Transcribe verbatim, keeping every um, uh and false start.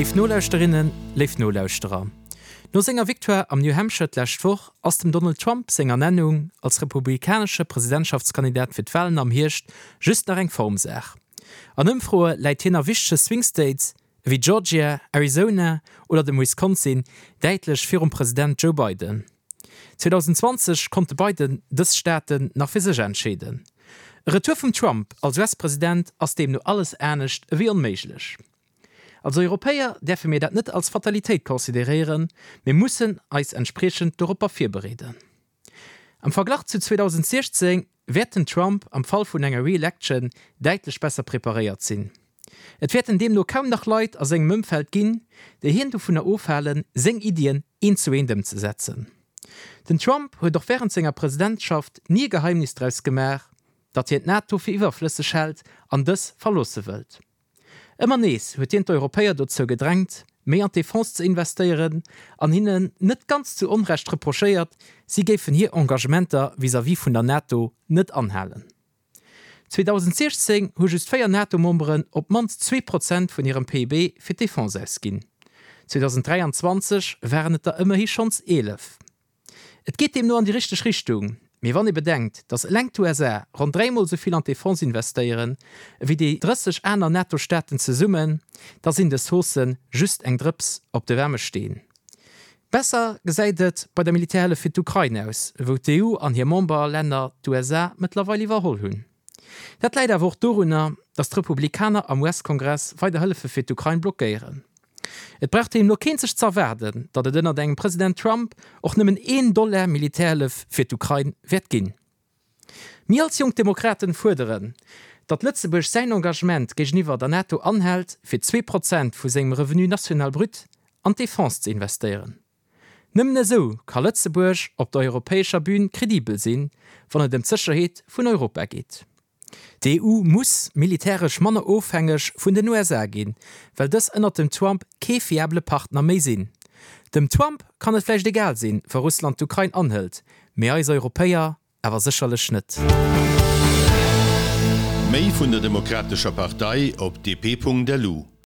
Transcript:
Léif Nolauschterinnen, léif Nolauschterer, no senger Victoire am New Hampshire d'lescht Woch ass dem Donald Trump seng Ernennung als republikanesche Presidentschaftskandidat fir d'Walen am Hierscht just nach eng Formsaach. An Ëmfroe läit hien a wichtege Swing States ewéi Georgia, Arizona oder dem Wisconsin däitlech virum President Joe Biden. zweedausendzwanzeg konnt de Biden dës Staaten nach fir sech entscheeden. E Retour vum Trump als U S-President ass deemno alles anescht ewéi onméiglech. Als Europäer däerfe mir dat net als Fatalitéit consideréieren, mir mussen eis entspriechend doropper virbereeden. Am Verglach zu zweedausendsechzéng wäert den Trump am Fall vun enger Re-Election däitlech besser preparéiert sinn. Et wäerten deemno kaum nach Leit a sengem Ëmfeld ginn, déi hien dovunner ofhalen, seng Iddien eent zu eent ëmzesetzen. Den Trump huet och wärend senger Presidentschaft ni e Geheimnis draus gemaach, datt hien d'NATO fir iwwerflësseg hält an dës verloosse wëllt. Ëmmer nees huet hien d'Europäer dozou gedrängt, méi an d'Defense ze investéieren an hinnen net ganz zu Onrecht reprochéiert, si géifen hir Engagementer vis-à-vis vun der NATO net anhalen. zweedausendsechzéng hu just véier NATO-Memberen op d'mannst zwee Prozent vun hirem P I B fir d'Defense ausginn. zweedausenddräianzwanzeg waren et der ëmmerhi schonns eelef. Et geet deemno an déi richteg Richtung, mee wann ee bedenkt, datt eleng d'U S A ronn dräimol esou vill an d'Defense investéieren ewéi déi drësseg aner NATO-Staaten zesummen, da sinn dës Haussë just eng Drëps op de waarme Steen. Besser gesäit et bei der Militärhëllef fir d'Ukrain aus, wou d'E U an hir Memberlänner d'U S A mëttlerweil iwwerholl hunn. Dat läit awer och dorunner, datt d'Republikaner am U S-Kongress weider Hëllefe fir d'Ukrain blockéieren. Et brauch deemno keen sech z'erwaarden, datt et ënnert engem President Trump och nëmmen een Dollar Militärhëllef fir d'Ukrain wäert ginn. Mir als Jonk Demokraten fuerderen, datt Lëtzebuerg säin Engagement géigeniwwer der NATO anhält, fir zwee Prozent vu sengem Revenu national brut an d'Defense ze investéieren. Nëmmen esou ka Lëtzebuerg op der europäescher Bün kredibel sinn, wann et ëm d'Sécherheet vun Europa geet. D'E U muss militäresch manner ofhängeg vun den U S A ginn, well dës ënnert dem Trump kee fiabele Partner méi sinn. Dem Trump kann et vläicht egal sinn, wa Russland d'Ukrain anhëlt, mee eis Europäer awer sécherlech net. Méi vun der Demokratescher Partei op D P Punkt L U.